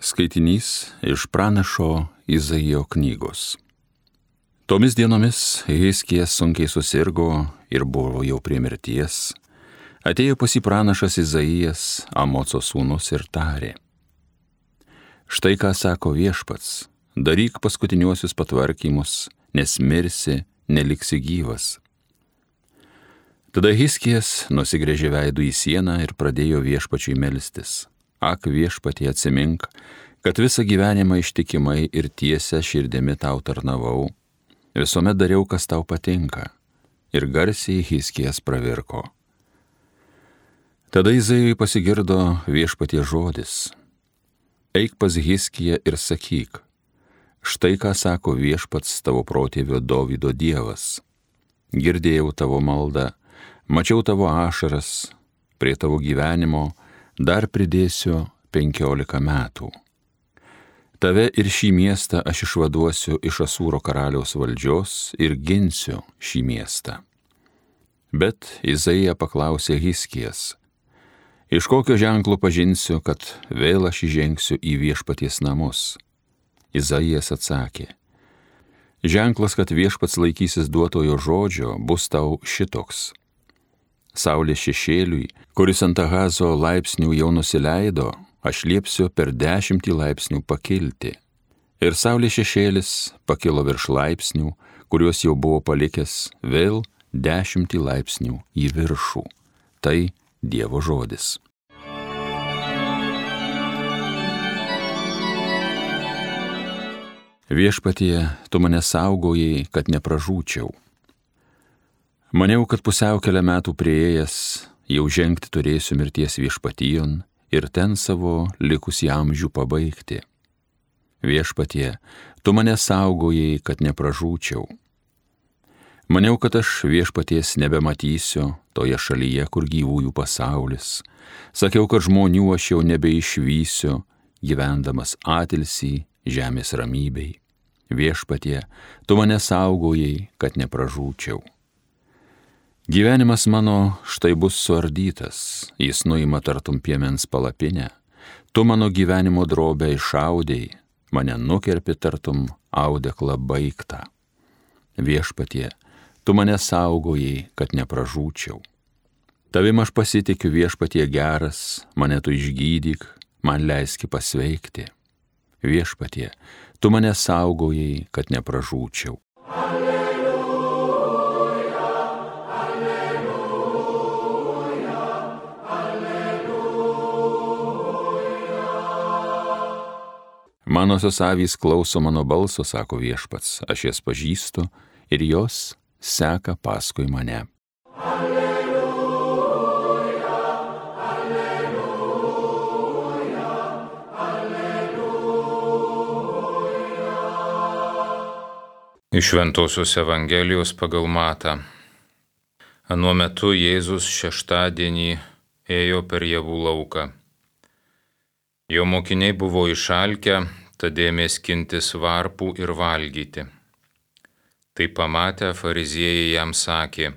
Skaitinys iš pranašo Izaijo knygos. Tomis dienomis Hiskijas sunkiai susirgo ir buvo jau prie mirties. Atėjo pas jį pranašas Izaijas, Amoco sūnus, ir tarė: Štai ką sako Viešpats, daryk paskutiniuosius patvarkymus, nes mirsi, neliksi gyvas. Tada Hiskijas nusigręžė veidu į sieną ir pradėjo Viešpačiui melstis: Ak, Viešpatie, atsimink, kad visą gyvenimą ištikimai ir tiesia širdimi tau tarnavau, visuomet dariau, kas tau patinka. Ir garsiai Hiskijas pravirko. Tada Izaijui pasigirdo Viešpatie žodis: Eik pas Hiskiją ir sakyk: Štai ką sako Viešpats, tavo protėvio Dovydo Dievas. Girdėjau tavo maldą, mačiau tavo ašaras, prie tavo gyvenimo dar pridėsiu 15 metų. Tave ir šį miestą aš išvaduosiu iš Asūro karaliaus valdžios ir ginsiu šį miestą. Bet Izaija paklausė Hiskijas: Iš kokio ženklo pažinsiu, kad vėl aš įžengsiu į Viešpaties namus? Izaijas atsakė: Ženklas, kad Viešpats laikysis duotojo žodžio, bus tau šitoks. Saulės šešėliui, kuris ant Ahazo laipsnių jau nusileido, aš liepsiu per 10 laipsnių pakilti. Ir saulės šešėlis pakilo virš laipsnių, kuriuos jau buvo palikęs, vėl 10 laipsnių į viršų. Tai Dievo žodis. Viešpatie, tu mane saugojai, kad nepražūčiau. Maniau, kad pusiaukelę metų prieėjęs, jau žengti turėsiu mirties viešpatijon ir ten savo likusį amžių pabaigti. Viešpatie, tu mane saugojai, kad nepražūčiau. Maniau, kad aš Viešpaties nebematysiu toje šalyje, kur gyvųjų pasaulis. Sakiau, kad žmonių aš jau nebeišvysiu, gyvendamas atilsį žemės ramybei. Viešpatie, tu mane saugojai, kad nepražūčiau. Gyvenimas mano štai bus suardytas, jis nuima tartum piemens palapinę. Tu mano gyvenimo drobę išaudei, mane nukerpi tartum audeklą baigtą. Viešpatie, tu mane saugojai, kad nepražūčiau. Tavim aš pasitikiu, Viešpatie geras, mane tu išgydyk, man leiski pasveikti. Viešpatie, tu mane saugojai, kad nepražūčiau. Manosios avys klauso mano balso, sako Viešpats, aš jas pažįstu ir jos seka paskui mane. Alleluja, alleluja, alleluja. Iš Šventosios Evangelijos pagal Matą. Anuo metu Jėzus šeštadienį ėjo per javų lauką. Jo mokiniai buvo išalkę, tad ėmė skintis varpų ir valgyti. Tai pamatę fariziejai jam sakė: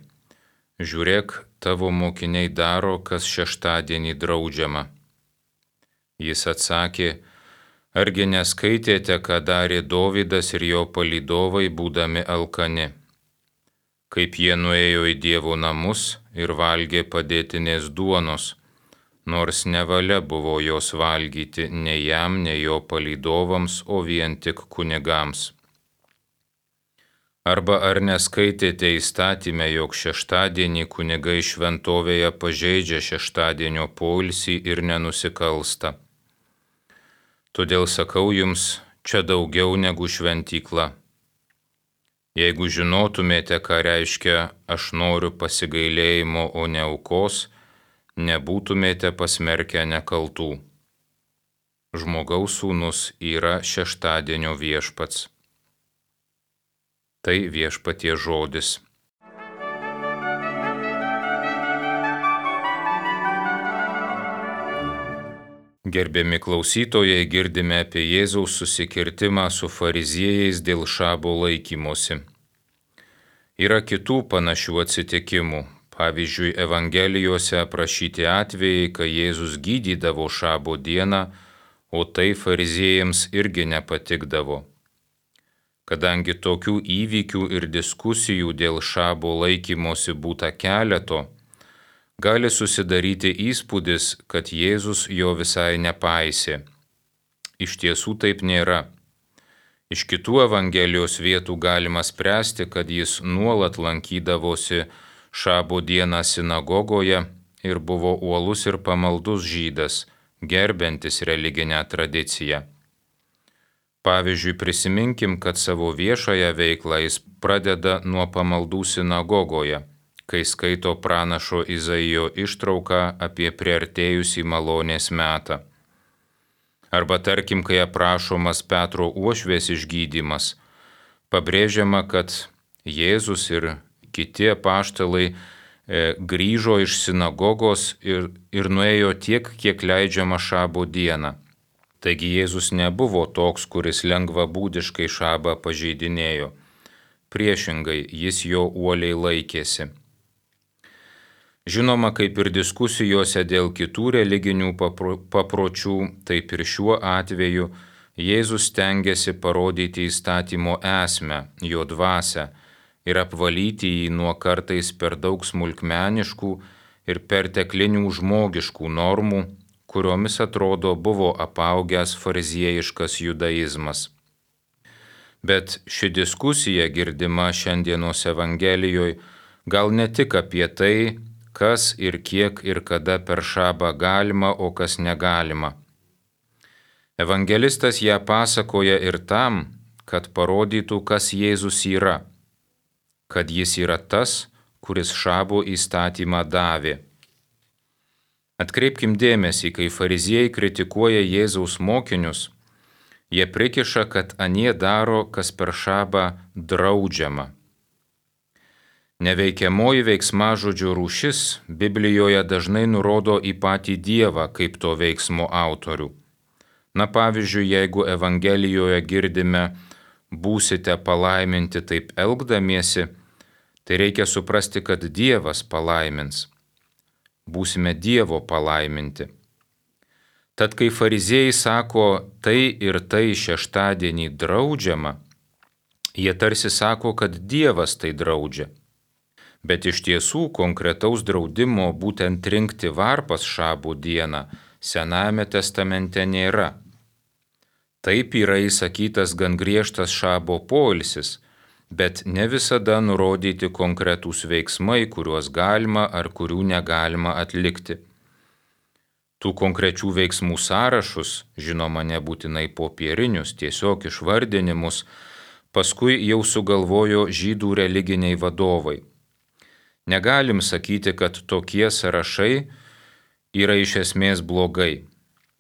Žiūrėk, tavo mokiniai daro, kas šeštadienį draudžiama. Jis atsakė: Argi neskaitėte, ką darė Dovydas ir jo palydovai, būdami alkani? Kaip jie nuėjo į Dievo namus ir valgė padėtinės duonos, nors nevalia buvo jos valgyti nei jam, nei jo palydovams, o vien tik kunigams. Arba ar neskaitėte įstatyme, jog šeštadienį kunigai šventovėje pažeidžia šeštadienio poilsį ir nenusikalsta? Todėl sakau jums, čia daugiau negu šventykla. Jeigu žinotumėte, ką reiškia aš noriu pasigailėjimo, o ne aukos, nebūtumėte pasmerkę nekaltų. Žmogaus sūnus yra šeštadienio viešpats. Tai Viešpaties žodis. Gerbiami klausytojai, girdime apie Jėzaus susikirtimą su fariziejais dėl šabo laikymosi. Yra kitų panašių atsitikimų. Pavyzdžiui, Evangelijose aprašyti atvejai, kai Jėzus gydydavo šabo dieną, o tai fariziejams irgi nepatikdavo. Kadangi tokių įvykių ir diskusijų dėl šabo laikymosi būta keleto, gali susidaryti įspūdis, kad Jėzus jo visai nepaisė. Iš tiesų taip nėra. Iš kitų Evangelijos vietų galima spręsti, kad jis nuolat lankydavosi šabo dieną sinagogoje ir buvo uolus ir pamaldus žydas, gerbiantis religinę tradiciją. Pavyzdžiui, prisiminkim, kad savo viešąją veiklą jis pradeda nuo pamaldų sinagogoje, kai skaito pranašo Izaijo ištrauką apie priartėjusį malonės metą. Arba tarkim, kai aprašomas Petro uošvės išgydymas, pabrėžiama, kad Jėzus ir kiti apaštalai grįžo iš sinagogos ir nuėjo tiek, kiek leidžiama šabo dieną. Taigi Jėzus nebuvo toks, kuris lengvabūdiškai šabą pažeidinėjo. Priešingai, jis jo uoliai laikėsi. Žinoma, kaip ir diskusijose dėl kitų religinių papročių, taip ir šiuo atveju Jėzus stengiasi parodyti įstatymo esmę, jo dvasią ir apvalyti jį nuo kartais per daug smulkmeniškų ir perteklinių žmogiškų normų, kuriomis atrodo buvo apaugęs fariziejiškas judaizmas. Bet ši diskusija girdima šiandienos Evangelijoje gal ne tik apie tai, kas ir kiek ir kada per šabą galima, o kas negalima. Evangelistas ją pasakoja ir tam, kad parodytų, kas Jėzus yra, kad jis yra tas, kuris šabo įstatymą davė. Atkreipkim dėmesį, kai fariziejai kritikuoja Jėzaus mokinius, jie prikiša, kad anie daro, kas per šabą draudžiama. Neveikiamoji veiksmažodžio rūšis Biblijoje dažnai nurodo į patį Dievą kaip to veiksmo autorių. Na pavyzdžiui, jeigu Evangelijoje girdime būsite palaiminti taip elgdamiesi, tai reikia suprasti, kad Dievas palaimins. Būsime Dievo palaiminti. Tad kai fariziejai sako tai ir tai šeštadienį draudžiama, jie tarsi sako, kad Dievas tai draudžia. Bet iš tiesų konkretaus draudimo būtent rinkti varpas šabų dieną Senajame testamente nėra. Taip yra įsakytas gan griežtas šabo poilsis, bet ne visada nurodyti konkretūs veiksmai, kuriuos galima ar kurių negalima atlikti. Tų konkrečių veiksmų sąrašus, žinoma nebūtinai popierinius, tiesiog išvardinimus, paskui jau sugalvojo žydų religiniai vadovai. Negalim sakyti, kad tokie sąrašai yra iš esmės blogai.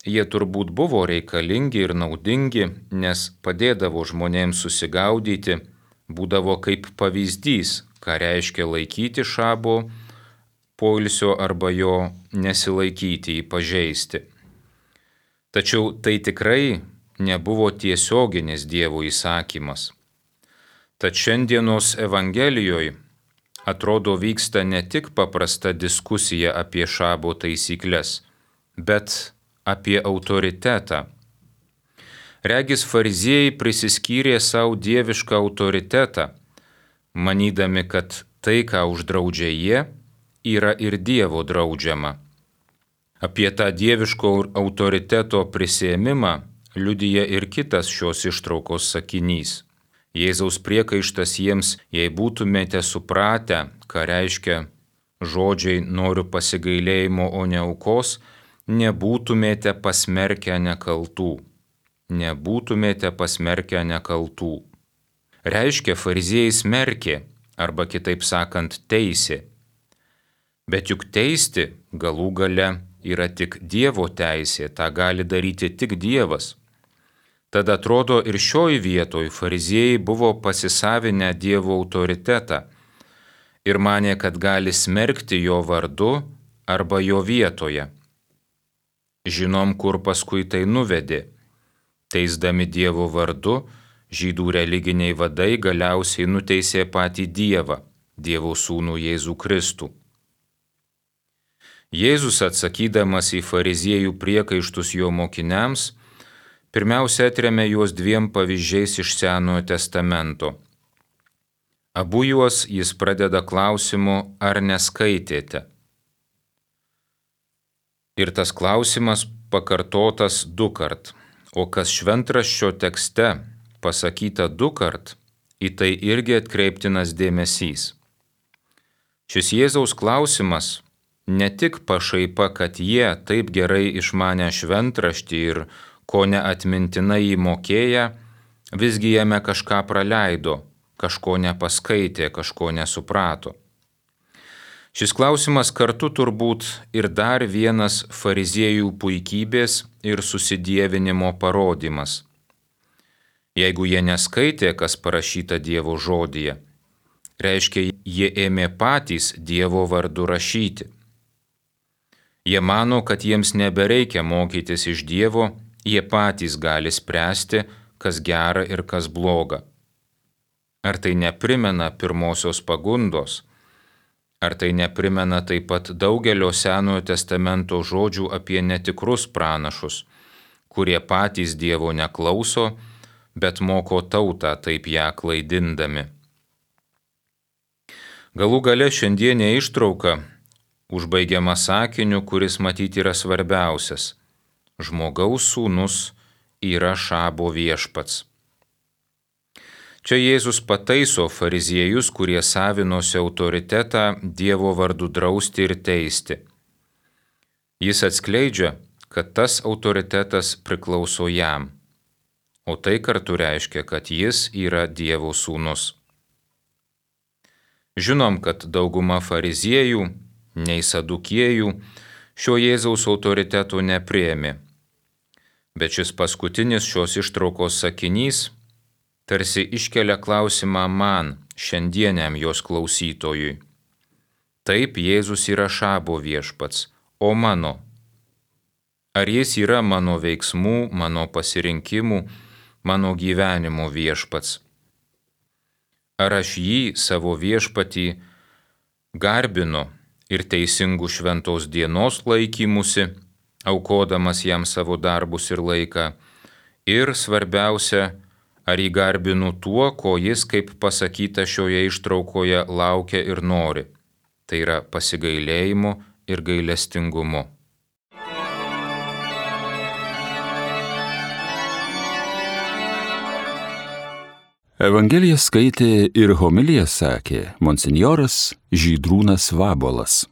Jie turbūt buvo reikalingi ir naudingi, nes padėdavo žmonėms susigaudyti, būdavo kaip pavyzdys, ką reiškia laikyti šabo poilsio arba jo nesilaikyti, jį pažeisti. Tačiau tai tikrai nebuvo tiesioginis Dievo įsakymas. Tad šiandienos Evangelijoje atrodo vyksta ne tik paprasta diskusija apie šabo taisyklės, bet apie autoritetą. Regis fariziejai prisiskyrė savo dievišką autoritetą, manydami, kad tai, ką uždraudžia jie, yra ir Dievo draudžiama. Apie tą dieviško autoriteto prisiėmimą liudija ir kitas šios ištraukos sakinys. Jėzaus priekaištas jiems, jei būtumėte supratę, ką reiškia žodžiai noriu pasigailėjimo, o ne aukos, nebūtumėte pasmerkę nekaltų. Nebūtumėte pasmerkę nekaltų. Reiškia, fariziejai smerkė, arba kitaip sakant, teisė. Bet juk teisti galų gale yra tik Dievo teisė, tą gali daryti tik Dievas. Tad atrodo ir šioj vietoj fariziejai buvo pasisavinę Dievo autoritetą ir manė, kad gali smerkti jo vardu arba jo vietoje. Žinom, kur paskui tai nuvedė. Teisdami Dievo vardu, žydų religiniai vadai galiausiai nuteisė patį Dievą, Dievo sūnų Jėzų Kristų. Jėzus atsakydamas į fariziejų priekaištus jo mokiniams, pirmiausia atremia juos dviem pavyzdžiais iš Senojo testamento. Abu juos jis pradeda klausimu, ar neskaitėte. Ir tas klausimas pakartotas dukart, o kas šventraščio tekste pasakyta dukart, į tai irgi atkreiptinas dėmesys. Šis Jėzaus klausimas ne tik pašaipa, kad jie taip gerai išmanę šventraštį ir ko neatmintinai įmokėję, visgi jame kažką praleido, kažko nepaskaitė, kažko nesuprato. Šis klausimas kartu turbūt ir dar vienas fariziejų puikybės ir susidievinimo parodymas. Jeigu jie neskaitė, kas parašyta Dievo žodyje, reiškia, jie ėmė patys Dievo vardu rašyti. Jie mano, kad jiems nebereikia mokytis iš Dievo, jie patys gali spręsti, kas gera ir kas bloga. Ar tai neprimena pirmosios pagundos? Ar tai neprimena taip pat daugelio Senojo testamento žodžių apie netikrus pranašus, kurie patys Dievo neklauso, bet moko tautą taip ją klaidindami? Galų gale šiandienė ištrauka užbaigiama sakiniu, kuris matyti yra svarbiausias. Žmogaus sūnus yra Šabo viešpats. Čia Jėzus pataiso fariziejus, kurie savinosi autoritetą Dievo vardu drausti ir teisti. Jis atskleidžia, kad tas autoritetas priklauso jam, o tai kartu reiškia, kad jis yra Dievo sūnus. Žinom, kad dauguma fariziejų, nei sadukiejų, šio Jėzaus autoriteto nepriėmė. Bet šis paskutinis šios ištraukos sakinys tarsi iškelia klausimą man, šiandieniam jos klausytojui. Taip, Jėzus yra Šabo viešpats, o mano. Ar jis yra mano veiksmų, mano pasirinkimų, mano gyvenimo viešpats? Ar aš jį, savo viešpatį, garbinu ir teisingų šventos dienos laikymusi, aukodamas jam savo darbus ir laiką, ir svarbiausia, ar jį garbinu tuo, ko jis, kaip pasakyta šioje ištraukoje, laukia ir nori, tai yra pasigailėjimu ir gailestingumu. Evangeliją skaitė ir homiliją sakė monsinjoras Žydrūnas Vabolas.